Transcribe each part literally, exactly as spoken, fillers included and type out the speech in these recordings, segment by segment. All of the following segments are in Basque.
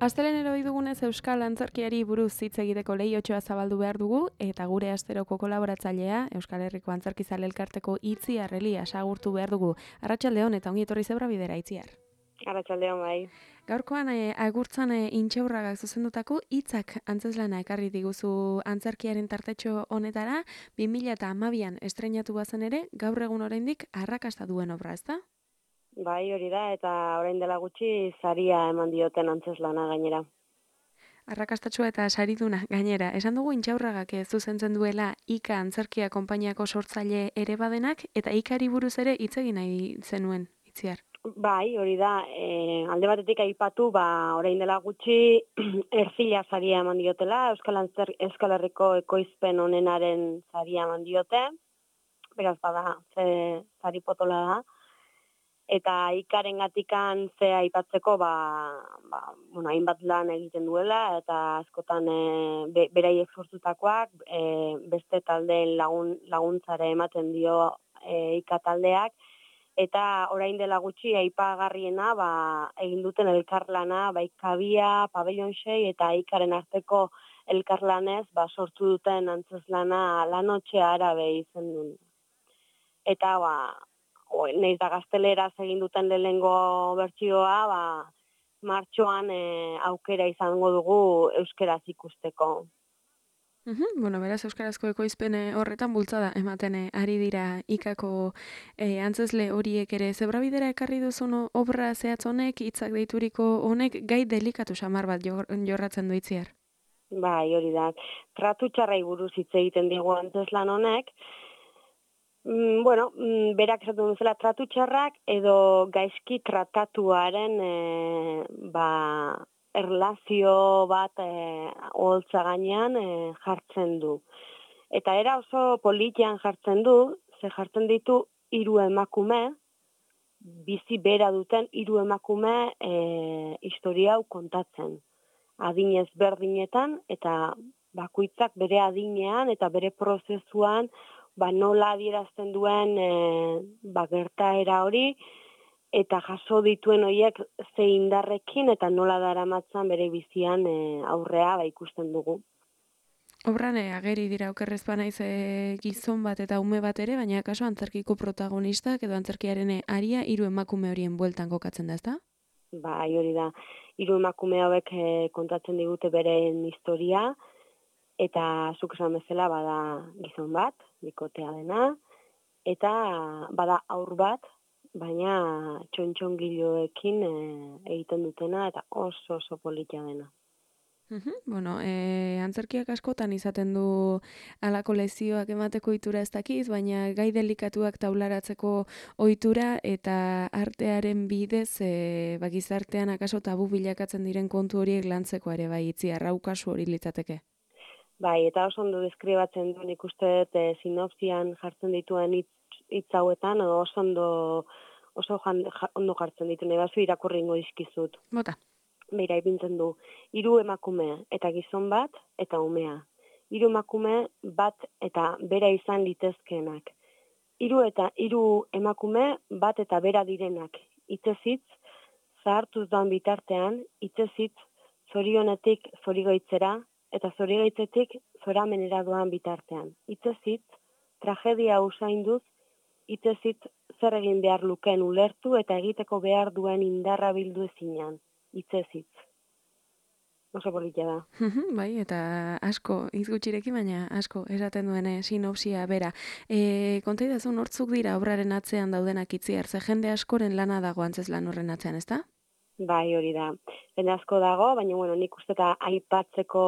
Astelehen eroi dugunez Euskal Antzerkiari buruz hitz egiteko leihotxoa zabaldu behar dugu, eta gure asteroko kolaboratzailea, Euskal Herriko Antzerkizale Elkarteko Itziar Elias agurtu behar dugu. Arratsaldeon eta ongi etorri Zebra Bidera, Itziar. Arratsaldeon bai. Gaurkoan e, agurtzan e, Intxaurragak zuzendutako hitzak antzeslana ekarri diguzu antzerkiaren tartetxo honetara, bi mila hamabian estreinatu bazen ere, gaur egun oraindik arrakasta duen obra, ezta? Bai, hori da, eta orain dela gutxi saria eman dioten antzeslana gainera. Arrakastatsua eta sariduna gainera. Esan dugu Intxaurragak zuzentzen duela Ika Antzerkia konpainiako sortzaile ere badenak, eta Ikari buruz ere hitz egin nahi zenuen, Itziar. Bai, hori da, e, alde batetik aipatu, ba, orain dela gutxi Erzila saria eman diotela, Euskal, Antzer, Euskal Herriko ekoizpen honenaren saria eman diote, beraz bada, ze sari potola da, eta Ikaren gatikan ze aipatzeko, ba, ba, bueno, hainbat lan egiten duela, eta askotan e, be, beraiek sortutakoak, e, beste taldeen lagun, laguntzare ematen dio e, Ika taldeak, eta orain dela gutxi aipagarriena ba, egin duten elkarlana, bai Kabia, Pabellon sei eta Ikaren arteko elkarlanez ba, sortu duten antzeslana Lanotxe Arabe izen duen. Eta ba, nahiz da gazteleraz egin duten lehenengo bertsioa, ba, martxoan e, aukera izango dugu euskeraz ikusteko. Uhum, bueno, beraz euskarazko ekoizpen horretan bultzada ematen ari dira Ikako e, antzesle horiek ere. Zebra Bidera ekarri duzun obra zehatz honek, hitzak deituriko honek, gai delikatu samar bat jorratzen du Itziar. Bai, hori da. Tratu txarrai buruz hitz egiten digu antzeslan honek. Mm, bueno, mm, berak esaten duzela tratu txarrak edo gaizki tratatuaren e, ba, erlazio bat e, oholtza gainean e, jartzen du. Eta era oso politian jartzen du, ze jartzen ditu hiru emakume, bizi bera duten hiru emakume e, historia hau kontatzen. Adinez berdinetan eta bakoitzak bere adinean eta bere prozesuan ba nola adierazten duen e, ba gertaera hori eta jaso dituen horiek ze indarrekin eta nola daramatzan bere bizian e, aurrea ba ikusten dugu. Obran e, ageri dira okerrez banaiz e, gizon bat eta ume bat ere, baina kaso antzerkiko protagonistak edo antzerkiaren aria hiru emakume horien bueltan kokatzen da, ezta? Bai, hori da. Hiru emakume hauek e, kontatzen digute beren historia, eta zuk esan bezala bada gizon bat, bikotea dena, eta bada haur bat, baina txontxongiloekin e, egiten dutena, eta oso oso politia dena. Uhum, bueno, e, antzerkiak askotan izaten du halako lezioak emateko ohitura ez dakiz, baina gai delikatuak taularatzeko ohitura eta artearen bidez e, ba, gizartean akaso tabu bilakatzen diren kontu horiek lantzeko ere bai Itziar, hau kasu hori litzateke. Bai, eta oso ondo deskribatzen duen ikuste dut e, sinopsian jartzen dituen hitz, hitz hauetan, oso ondo, oso jan, ja, ondo jartzen ditu, nebazu irakurringo dizkizut. Bota. Beira ipintzen du, hiru emakume eta gizon bat eta umea. Hiru emakume bat eta bera izan litezkeenak. Hiru eta hiru emakume bat eta bera direnak. Hitzezitz, zahartuz doan bitartean, hitzezitz, zorionetik zorigoitzera eta zorigaitzetik zoramenera doan bitartean. Hitzezitz, tragedia usainduz, hitzezitz zer egin behar lukeen ulertu eta egiteko behar duen indarra bildu ezinan. Hitzezitz. Oso politia da. Bai, eta asko, hitz gutxirekin, baina asko esaten duen sinopsia bera. E, konta idazu nortzuk dira obraren atzean daudenak Itziar, ze jende askoren lana dago antzeslan horren atzean, ezta? Bai, hori da. Jende asko dago, baina bueno, nik uste eta aipatzeko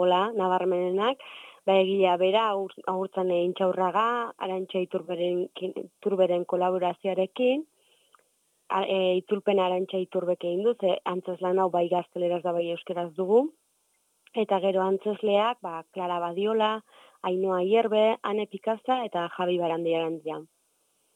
gola, nabarmenenak, ba egia bera, agurtzan Intxaurraga, Arantxa Iturberen, Iturberen kolaborazioarekin, E, itzulpen Arantxa Iturbek egin du, ze antzeslan hau bai gazteleraz da bai euskeraz dugu. Eta gero antzesleak, ba, Clara Badiola, Ainhoa Hierbe, Ane Pikaza eta Javi Barandiarantzia.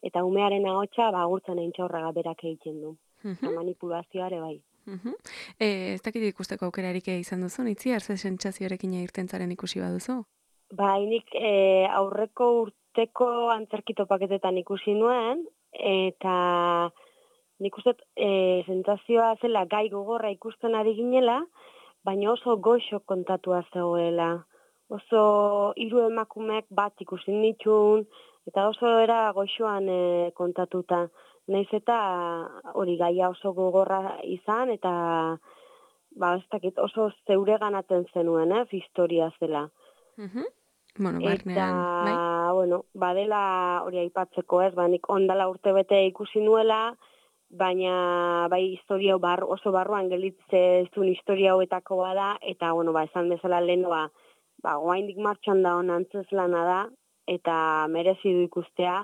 Eta umearen ahotsa ba agurtzen Aintzaurraga berak egiten du. Eta manipulazioa ere bai. Mhm. Eh, ez dakit ikusteko aukerarik izan duzu, Itziar, ze sentsazioarekin irten zaren ikusi baduzu? Bai, nik e, aurreko urteko antzerki topaketetan ikusi nuen, eta nik uste e, sentsazioa zela gai gogorra ikusten ari ginela, baina oso goxo kontatua zegoela. Oso hiru emakumeak bat ikusi nituen, eta oso era goxoan e, kontatuta. Naiz eta hori gaia oso gogorra izan, eta ba, ez dakit, oso zeureganatzen zenuen, eh, historia zela. Mhm. Bueno, Eta, barnean, bai? bueno, badela hori aipatzeko ez, ba, nik ondala urte bete ikusi nuela, baina bai historia bar, oso barruan gelitze zuen historia hauetako bada, eta, bueno, ba, esan bezala lehen, ba, ba, goaindik martxan da hon antzeslana da, eta merezi du ikustea,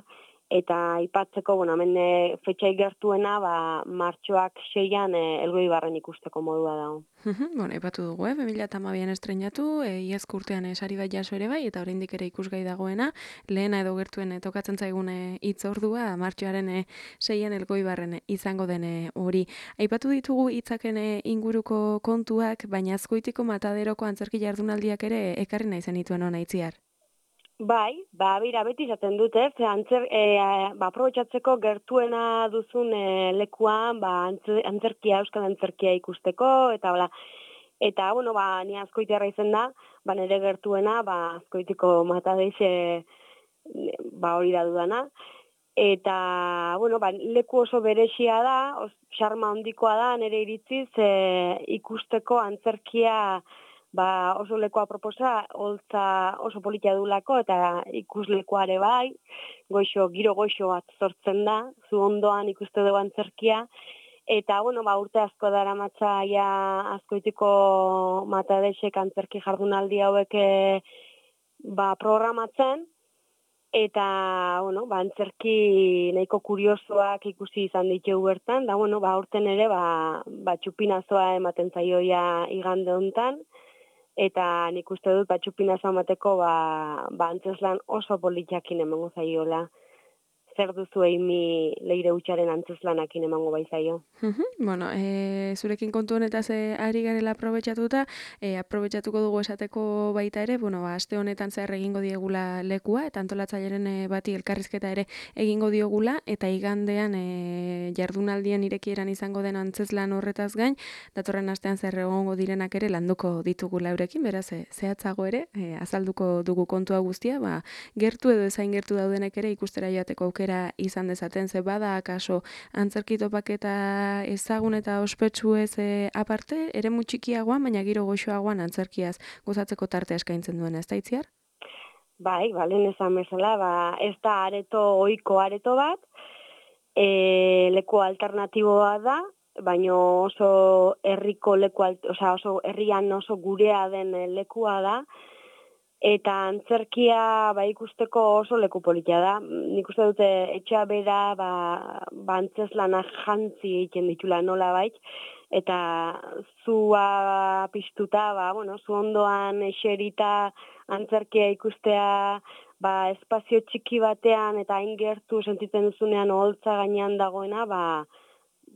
eta aipatzeko, bueno, hemen e, fetxai gertuena, ba, martxoak seian e, Elgoi Barren ikusteko modua dago. Mhm, bueno, aipatu dugu, eh? bi mila hamabian estrenatu, e, iazko urtean e, sari bat jaso ere bai, eta oraindik ere ikusgai dagoena, lehena edo gertuen e, tokatzen zaigune hitz ordua, martxoaren e, seian Elgoibarren e, izango dene hori. Aipatu ditugu hitzaken e, inguruko kontuak, baina Azkoitiko Mataderoko antzerki jardunaldiak ere ekarri nahi zenituen ona Itziar. Bai, ba, bera, beti izaten dute, ze antzer, e, ba, aprobetxatzeko gertuena duzun e, lekuan, ba, antzer, antzerkia, euskal antzerkia ikusteko, eta bla, eta, bueno, ba, ni Azkoitiarra izen da, ba, nire gertuena, ba, Azkoitiko Matadeixe, ba, hori da dudana, eta, bueno, ba, leku oso berexia da, os, xarma handikoa da, nire iritziz, e, ikusteko antzerkia, ba, oso lekoa proposa, holtza oso politia dulako, eta ikuslekoare bai, goixo, giro goixo bat sortzen da, zu ondoan ikuste dugu antzerkia, eta, bueno, ba, urte asko dara matzaia Azkoitiko Matadesek antzerki jardunaldi hauek ba, programatzen, eta, bueno, ba, antzerki nahiko kuriosoak ikusi izan ditugu bertan, da, bueno, ba, urten ere, ba, ba, txupinazoa ematen zaioia igande hontan, eta nik uste dut batxupinazo amateko ba, ba antzeslan oso politiakin emango zaiola. Zer duzu eimi leire utxaren antzeslanakin emango bai zaio. Mhm, bueno, e, zurekin kontu honetaz e, ari garela aprobetxatuta, e, aprobetxatuko dugu esateko baita ere, bueno, ba, aste honetan zehar egingo diegula lekua, eta antolatzaileren e, bati elkarrizketa ere egingo diogula, eta igandean e, jardunaldien irekieran izango den antzeslan horretaz gain, datorren astean zer egongo direnak ere landuko ditugula eurekin, beraz, e, zehatzago ere, e, azalduko dugu kontua guztia, ba, gertu edo ezain gertu daudenek ere ikustera joateko aukera izan dezaten, ze bada akaso antzerki topaketa ezagun eta ospetsu ez e, aparte, ere mutxikiagoan, baina giro goxoagoan antzerkiaz gozatzeko tartea eskaintzen duen, ez da Itziar? Bai, balen esan bezala, ba, ez da areto ohiko areto bat, e, leku alternatiboa da, baina oso herriko leku, osea oso herrian oso gurea den lekua da, eta antzerkia ba, ikusteko oso leku politia da. Nik uste dute etxea bera ba, ba antzeslana jantzi egiten ditula nola bait, eta zua piztuta, ba, bueno, zu ondoan eserita antzerkia ikustea ba, espazio txiki batean eta hain gertu sentitzen duzunean oholtza gainean dagoena, ba,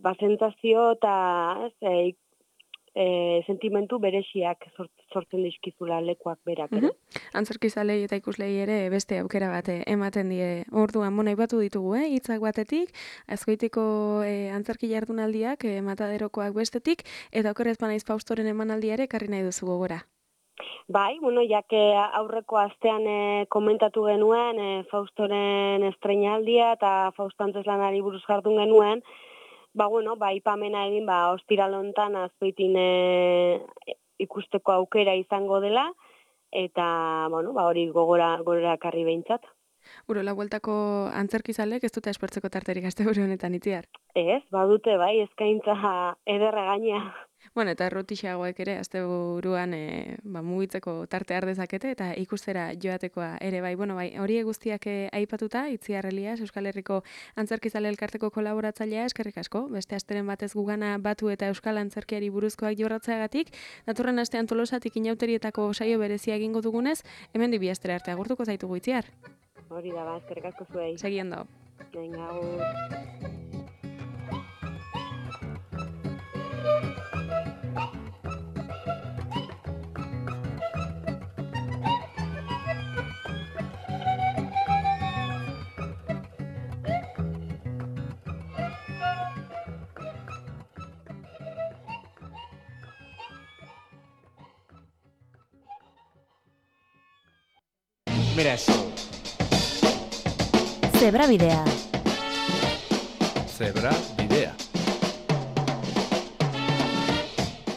ba sentsazio eta ez, e, E, sentimentu bereziak sortzen dizkizula lekuak berak ere. Mhm. Antzerkizalei eta ikuslei ere beste aukera bat ematen die. Orduan, mona aipatu ditugu, eh? Hitzak batetik, Azkoitiko e, antzerki jardunaldiak, e, Mataderokoak bestetik, eta okerrez banaiz Faustoren emanaldia ere ekarri nahi duzu gogora. Bai, bueno, jake aurreko astean e, komentatu genuen e, Faustoren estreinaldia eta Fausto antzeslanari buruz jardun genuen, ba, bueno, ba, ipamena egin, ba, ostiral hontan Azkoitin e, ikusteko aukera izango dela, eta, bueno, ba, hori gogora, gogora karri behintzat. Urola bueltako antzerkizalek ez dute espertzeko tarterik asteburu honetan Itziar. Ez, badute, bai, eskaintza ederra gainea. Bueno, eta errotixagoek ere, azte buruan e, ba, mugitzeko tarte ardezakete eta ikustera joatekoa ere bai. Bueno, bai, hori guztiak e, aipatuta, Itziar Elias, Euskal Herriko Antzerkizale Elkarteko kolaboratzailea, eskerrik asko, beste asteren batez gugana batu eta Euskal Antzerkiari buruzkoak jorratzeagatik, datorren astean Tolosatik inauterietako saio berezia egingo dugunez, hemen dibi astera arte agurtuko zaitugu, Itziar. Hori da, ba, eskerrik asko zuei. Segiendo. Venga, agur. Mira eso. Zebra Bidea. Zebra Bidea.